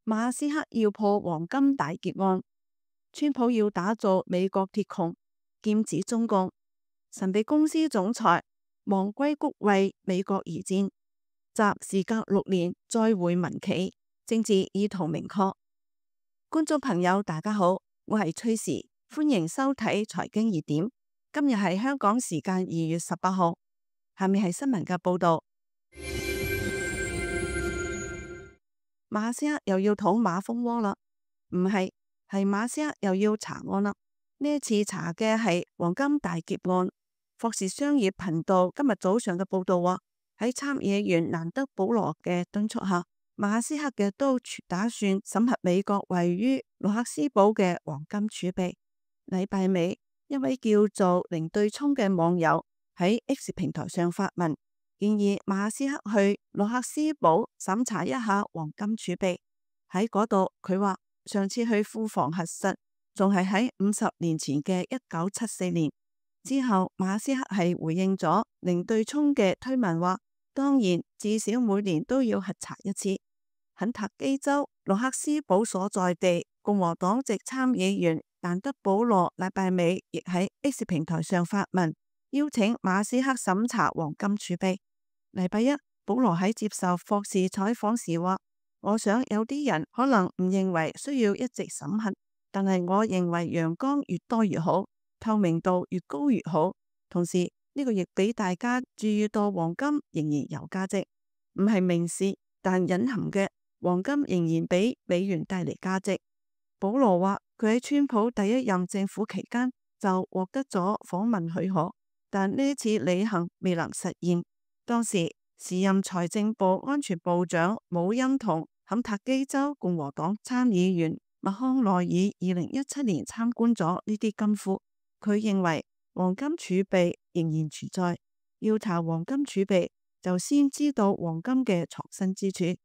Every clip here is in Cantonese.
馬斯克要破黃金大劫案，川普要打造美國鐵穹，劍指中共，神秘公司總裁望硅谷為美國而戰，習時隔6年再會民企，政治意圖明確。觀眾朋友大家好，我係崔時，歡迎收睇財經熱點。今日係香港時間2月18號，下面係新聞嘅報道。馬斯克又要捅馬蜂窩啦？唔係，係馬斯克又要查案啦。呢一次查嘅係黃金大劫案。霍士商業頻道今日早上嘅報道話，喺參議員蘭德保羅嘅敦促下，馬斯克嘅都打算審核美國位於羅克斯堡嘅黃金儲備。禮拜尾，一位叫做零對沖嘅網友喺 X 平台上發文，建議馬斯克去羅克斯堡審查一下黃金儲備。喺嗰度，佢話上次去庫房核實，仲係喺50年前嘅1974年。之後，馬斯克係回應咗零對沖嘅推文，話當然至少每年都要核查一次。肯塔基州羅克斯堡所在地共和黨籍參議員蘭德保羅禮拜尾亦喺 X 平台上發文，邀請馬斯克審查黃金儲備。禮拜一，保羅喺接受霍士採訪時話，我想有啲人可能唔認為需要一直審核，但係我認為陽光越多越好，透明度越高越好。同時呢個亦俾大家注意到黃金仍然有價值，唔係明示，但隱含嘅黃金仍然俾美元帶嚟價值。保羅話佢喺川普第一任政府期間就獲得咗訪問許可，但呢次旅行未能實現。當時時任財政部安全部長姆恩同肯塔基州共和黨參議員麥康奈爾2017年參觀咗呢啲金庫。佢認為黃金儲備仍然存在，要查黃金儲備就先知道黃金嘅藏身之處。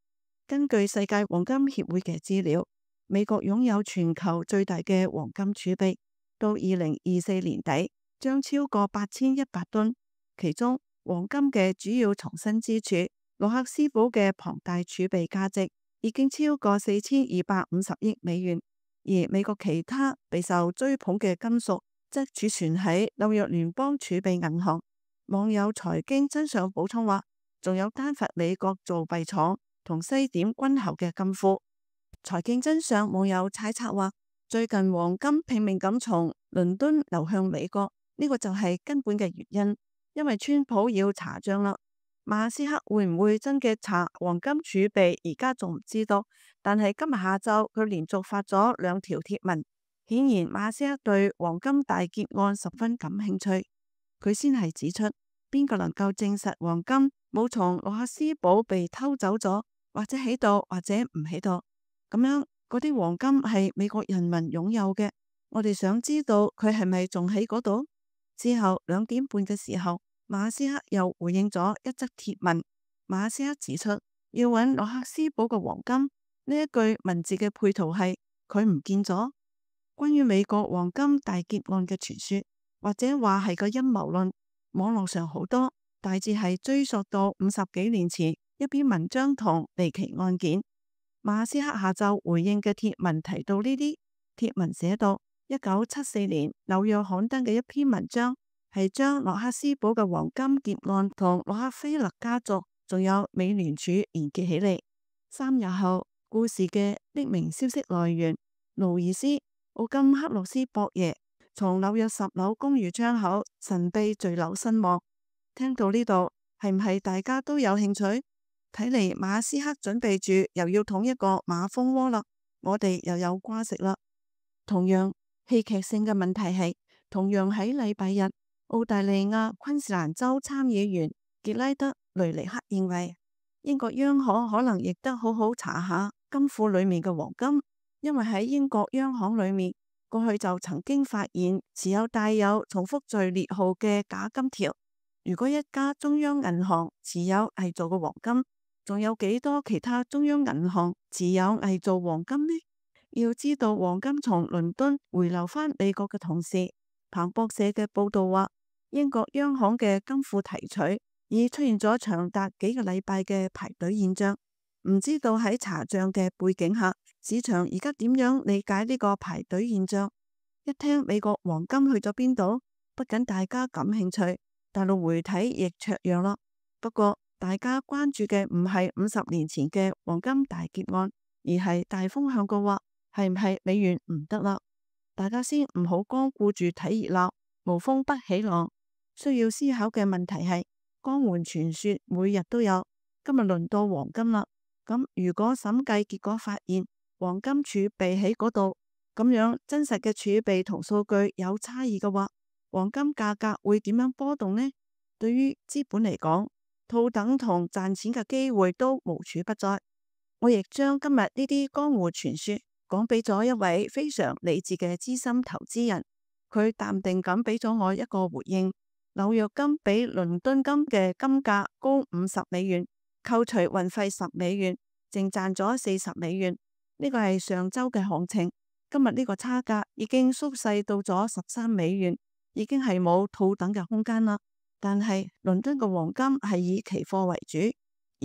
根據世界黃金協會嘅資料，美國擁有全球最大嘅黃金儲備，到2024年底將超過8100噸。其中黃金嘅主要藏身之處，羅克斯堡嘅龐大儲備價值已經超過4250億美元，而美國其他備受追捧嘅金屬則儲存喺紐約聯邦儲備銀行。網友財經真相補充話，仲有丹佛美國造幣廠同西點軍侯嘅金庫。財經真相網友猜測話，最近黃金拼命咁從倫敦流向美國，呢個就係根本嘅原因，因為川普要查賬啦。馬斯克會唔會真嘅查黃金儲備，而家仲唔知道，但係今日下晝佢連續發咗2條貼文，顯然馬斯克對黃金大劫案十分感興趣。佢先係指出，邊個能夠證實黃金冇從羅克斯堡被偷走咗，或者喺度，或者唔喺度，咁樣嗰啲黃金係美國人民擁有嘅。我哋想知道佢係咪仲喺嗰度。之後2點半嘅時候，馬斯克又回應咗一則貼文。馬斯克指出，要揾羅克斯堡嘅黃金，呢一句文字嘅配圖係佢唔見咗。關於美國黃金大劫案嘅傳說，或者話係個陰謀論，網絡上好多，大致係追溯到50幾年前一篇文章同離奇案件。馬斯克下晝回應嘅貼文提到呢啲。貼文寫到1974年紐約刊登嘅一篇文章，係將羅克斯堡嘅黃金劫案同洛克菲勒家族仲有美聯儲連結起嚟。3日後，故事嘅匿名消息來源勞爾斯奧金克洛斯博爺從紐約10樓公寓窗口神秘墜樓身亡。聽到呢度，係唔係大家都有興趣？睇嚟馬斯克準備住又要捅一個馬蜂窩啦，我哋又有瓜食啦。同樣戲劇性嘅問題係，同樣喺禮拜日，澳大利亞昆士蘭州參議員傑拉德雷尼克認為，英國央行可能亦得好好查下金庫裏面嘅黃金，因為喺英國央行裏面過去就曾經發現持有帶有重複序列號嘅假金條。如果一家中央銀行持有偽造嘅黃金，仲有幾多其他中央銀行持有偽造黃金呢？要知道黃金從倫敦回流返美國嘅同時，彭博社嘅報道話，英國央行嘅金庫提取已出現咗長達幾個禮拜嘅排隊現象。唔知道喺查賬嘅背景下，市場而家點樣理解呢個排隊現象？一聽美國黃金去咗邊度，不僅大家感興趣，大陸媒體亦雀躍啦。不過大家關注嘅唔係50年前嘅黃金大劫案，而係大風向嘅話，係唔係美元唔得啦？大家先唔好光顧住睇熱鬧，無風不起浪。需要思考嘅問題係，江湖傳說每日都有，今日輪到黃金啦。咁如果審計結果發現黃金儲備喺嗰度，咁樣真實嘅儲備同數據有差異嘅話，黃金價格會點樣波動呢？對於資本嚟講，套等同賺錢嘅機會都無處不在。我亦將今日呢啲江湖傳說講俾咗一位非常理智嘅資深投資人，佢淡定咁俾咗我一個回應：紐約金比倫敦金嘅金價高$50，扣除運費$10，淨賺咗$40。呢個係上周嘅行情，今日呢個差價已經縮細到咗$13，已經係冇套等嘅空間啦。但係倫敦嘅黃金係以期貨為主，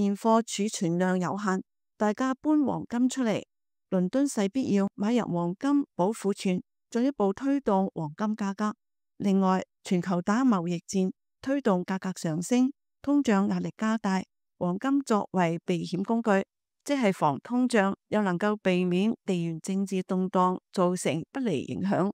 現貨儲存量有限，大家搬黃金出嚟，倫敦勢必要買入黃金保庫存，進一步推動黃金價格。另外，全球打貿易戰，推動價格上升，通脹壓力加大，黃金作為避險工具，即係防通脹，又能夠避免地緣政治動盪造成不利影響。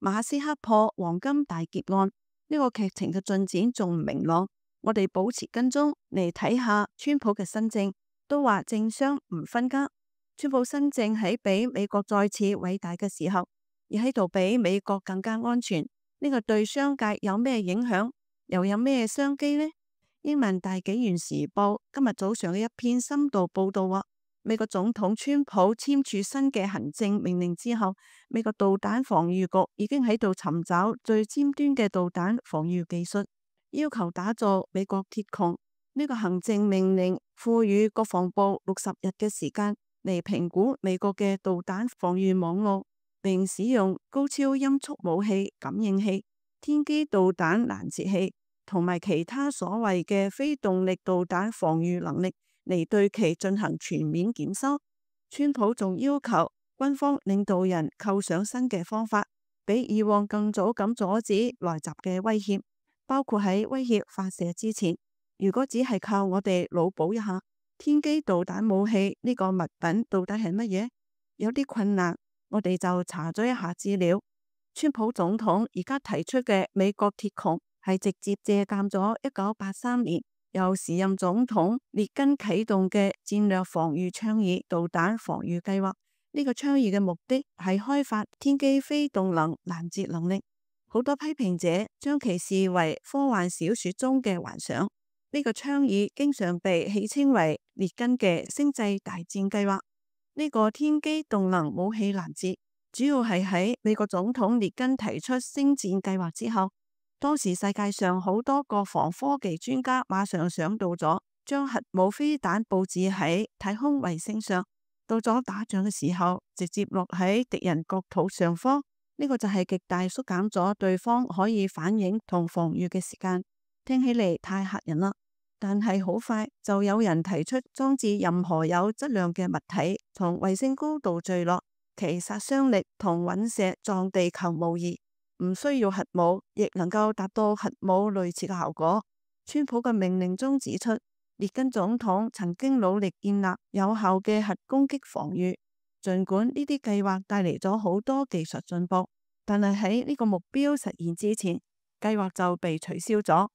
馬斯克破黃金大劫案，呢個劇情嘅進展仲唔明朗，我哋保持跟蹤嚟睇下川普嘅新政。都話政商唔分家，川普新政喺比美國再次偉大嘅時候，而喺度比美國更加安全。呢個對商界有咩影響，又有咩商機呢？英文大紀元時報今日早上嘅一篇深度報道話，美國總統川普簽署新嘅行政命令之後，美國導彈防禦局已經喺度尋找最尖端嘅導彈防禦技術，要求打造美國鐵穹。呢個行政命令賦予國防部60日嘅時間嚟評估美國嘅導彈防禦網絡，並使用高超音速武器感應器、天基導彈攔截器同埋其他所謂嘅非動力導彈防禦能力嚟對其進行全面檢修。川普仲要求軍方領導人構想新嘅方法，比以往更早咁阻止來襲嘅威脅，包括喺威脅發射之前，如果只係靠我哋腦補一下天基導彈武器呢個物品到底係乜嘢，有啲困難。我哋就查咗一下資料，川普總統而家提出嘅美國鐵穹係直接借鑒咗1983年由時任總統列根啟動嘅戰略防禦倡議導彈防禦計劃。呢個倡議嘅目的係開發天基非動能攔截能力。好多批評者將其視為科幻小說中嘅幻想。呢個倡議經常被戲稱為列根嘅星際大戰計劃。呢個天基動能武器攔截主要係喺美國總統列根提出星戰計劃之後，當時世界上好多國防科技專家馬上想到咗將核武飛彈佈置喺太空衛星上，到咗打仗嘅時候直接落喺敵人國土上方。呢個就係極大縮減咗對方可以反應同防禦嘅時間。聽起嚟太嚇人啦，但係好快就有人提出裝置任何有質量嘅物體從衛星高度墜落，其殺傷力同隕石撞地球無異，唔需要核武亦能夠達到核武類似嘅效果。川普嘅命令中指出，列根總統曾經努力建立有效嘅核攻擊防禦，儘管呢啲計劃帶嚟咗好多技術進步，但係喺呢個目標實現之前，計劃就被取消咗。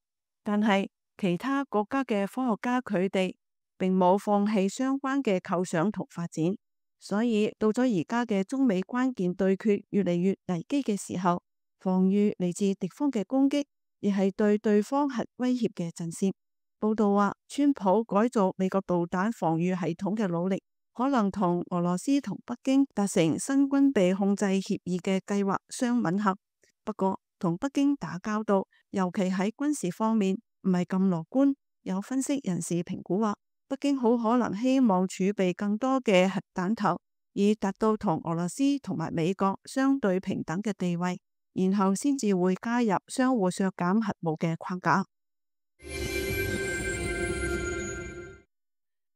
但係其他國家嘅科學家佢哋並冇放棄相關嘅構想同發展，所以到咗而家嘅中美關鍵對決越嚟越危機嘅時候，防禦嚟自敵方嘅攻擊，亦係對對方核威脅嘅震懾。報道話，川普改造美國導彈防禦系統嘅努力，可能同俄羅斯同北京達成新軍備控制協議嘅計劃相吻合。不過，同北京打交道，尤其喺軍事方面，唔係咁樂觀。有分析人士評估話，北京好可能希望儲備更多嘅核彈頭，以達到同俄羅斯同埋美國相對平等嘅地位，然後先至會加入相互削減核武嘅框架。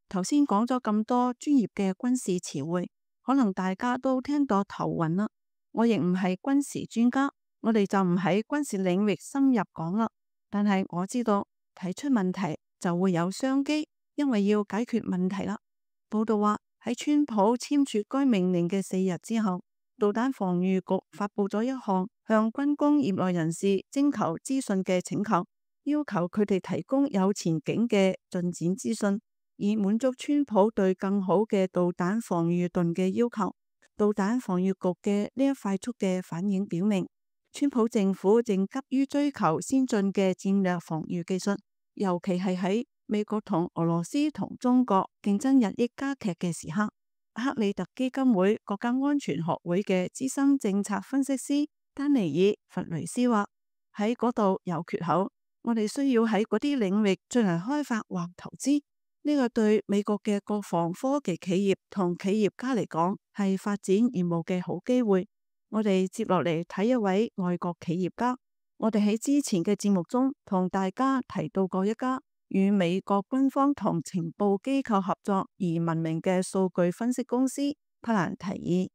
頭先講咗咁多專業嘅軍事詞彙，可能大家都聽到頭暈啦。我亦唔係軍事專家，我哋就唔喺軍事領域深入講啦。但係我知道提出問題就會有商機，因為要解決問題啦。報道話喺川普簽署該命令嘅4日之後，導彈防禦局發佈咗一項向軍工業內人士徵求資訊嘅請求，要求佢哋提供有前景嘅進展資訊，以滿足川普對更好嘅導彈防禦盾嘅要求。導彈防禦局嘅呢一快速嘅反應表明，川普政府正急於追求先進嘅戰略防禦技術，尤其係喺美國同俄羅斯同中國競爭日益加劇嘅時刻。克里特基金會國家安全學會嘅資深政策分析師丹尼爾·弗雷斯話：喺嗰度有缺口，我哋需要喺嗰啲領域進行開發或投資。呢個對美國嘅國防科技企業同企業家嚟講係發展業務嘅好機會。我哋接落嚟睇一位外國企業家。我哋喺之前嘅節目中同大家提到過一家與美國軍方同情報機構合作而聞名嘅數據分析公司帕蘭提爾。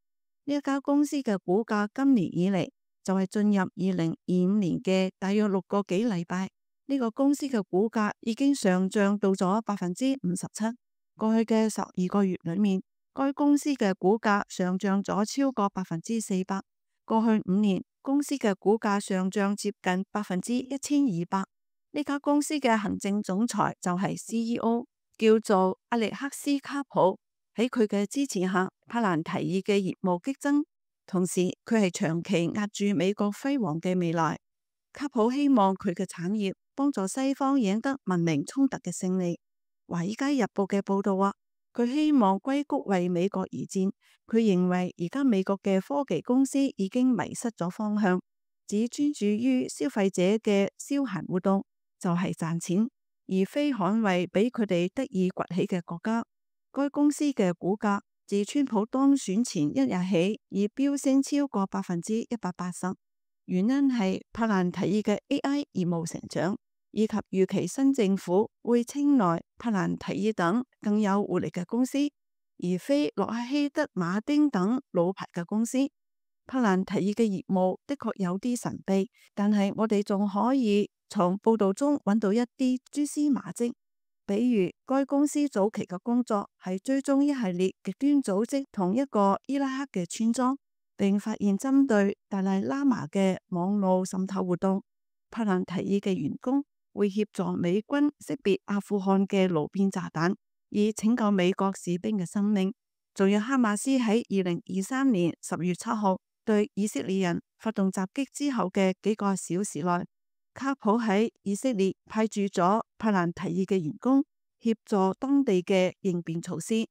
呢一家公司嘅股價今年以嚟就係進入2025年嘅大約6個幾禮拜，呢個公司嘅股價已經上漲到咗57%。過去嘅12個月裏面，該公司嘅股價上漲咗超過400%。過去5年，公司嘅股價上漲接近1200%。呢家公司嘅行政總裁就係 CEO， 叫做阿力克斯卡普。喺佢嘅支持下，帕蘭提爾嘅業務激增，同時佢係長期壓住美國輝煌嘅未來。卡普希望佢嘅產業幫助西方贏得文明衝突嘅勝利。華爾街日報嘅報道話，佢希望硅谷為美國而戰。佢認為而家美國嘅科技公司已經迷失咗方向，只專注於消費者嘅消閒活動，就係賺錢，而非捍衛俾佢哋得以崛起嘅國家。該公司嘅股價自川普當選前一日起已飆升超過180%，原因係帕蘭提爾嘅 AI 業務成長，以及預期新政府會青睞帕蘭提爾等更有活力嘅公司，而非洛克希德馬丁等老牌嘅公司。帕蘭提爾嘅業務的確有啲神秘，但係我哋仲可以從報道中揾到一啲蛛絲馬跡。比如該公司早期嘅工作係追蹤一系列極端組織同一個伊拉克嘅村莊，並發現針對達賴喇嘛嘅網絡滲透活動。帕蘭提爾嘅員工會協助美軍識別阿富汗嘅路邊炸彈，以拯救美國士兵嘅生命。仲有哈馬斯喺2023年10月7號對以色列人發動襲擊之後嘅幾個小時內，卡普喺以色列派駐咗帕蘭提爾嘅員工協助當地嘅應變措施。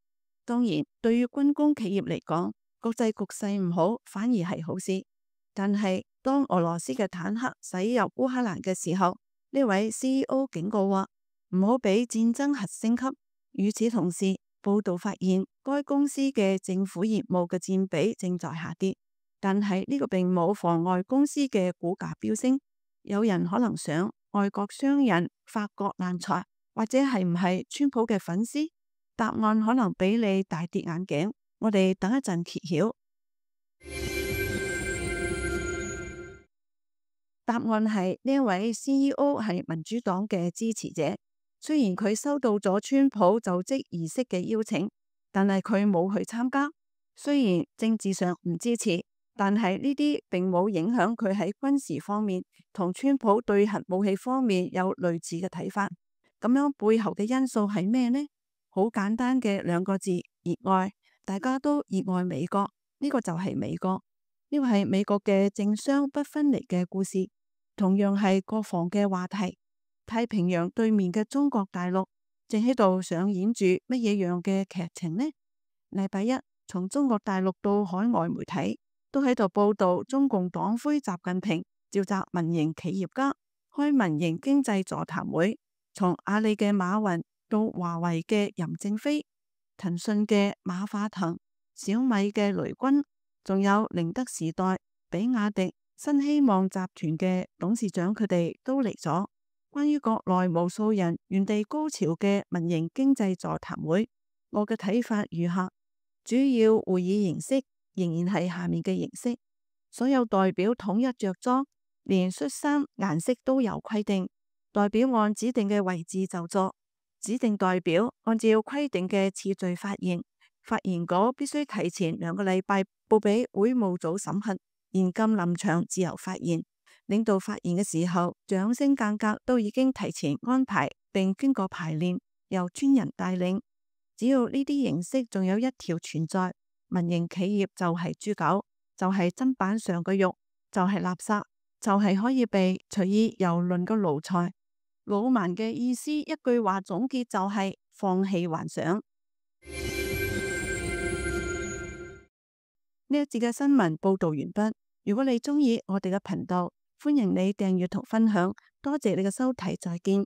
當然，對於軍工企業嚟講，國際局勢唔好反而係好事。但係當俄羅斯嘅坦克駛入烏克蘭嘅時候，呢位 CEO 警告話唔好俾戰爭核升級。與此同時，報道發現該公司嘅政府業務嘅佔比正在下跌，但係呢個並冇妨礙公司嘅股價飆升。有人可能想，外國商人發國難財，或者係唔係川普嘅粉絲？答案可能比你大跌眼鏡。我哋等一陣揭曉。答案係呢位 CEO 係民主黨嘅支持者。雖然佢收到咗川普就職儀式嘅邀請，但係佢冇去參加。雖然政治上唔支持，但係呢啲並冇影響佢喺軍事方面同川普對核武器方面有類似嘅睇法。咁樣背後嘅因素係咩呢？好簡單嘅2個字：熱愛。大家都熱愛美國，呢個就係美國。呢個係美國嘅政商不分離嘅故事，同樣係國防嘅話題。太平洋對面嘅中國大陸正喺度上演住乜嘢樣嘅劇情呢？禮拜一，從中國大陸到海外媒體都喺度報道中共黨魁習近平召集民營企業家開民營經濟座談會，從阿里嘅馬雲到華為嘅任正非、騰訊嘅馬化騰、小米嘅雷軍，仲有寧德時代、比亞迪、新希望集團嘅董事長，佢哋都嚟咗。關於國內無數人原地高潮嘅民營經濟座談會，我嘅睇法如下：主要會議形式仍然係下面嘅形式，所有代表統一着裝，連恤衫顏色都有規定，代表按指定嘅位置就座，指定代表按照規定嘅次序發言，發言稿必須提前2個禮拜報俾會務組審核，現禁臨場自由發言。領導發言嘅時候，掌聲間隔都已經提前安排並經過排練，由專人帶領。只要呢啲形式仲有一條存在，民營企業就係豬狗，就係砧板上嘅肉，就係垃圾，就係可以被隨意蹂躪嘅奴才。老蠻嘅意思一句話總結就係放棄幻想。呢一節嘅新聞報道完畢。如果你鍾意我哋嘅頻道，歡迎你訂閱同分享，多謝你嘅收睇，再見。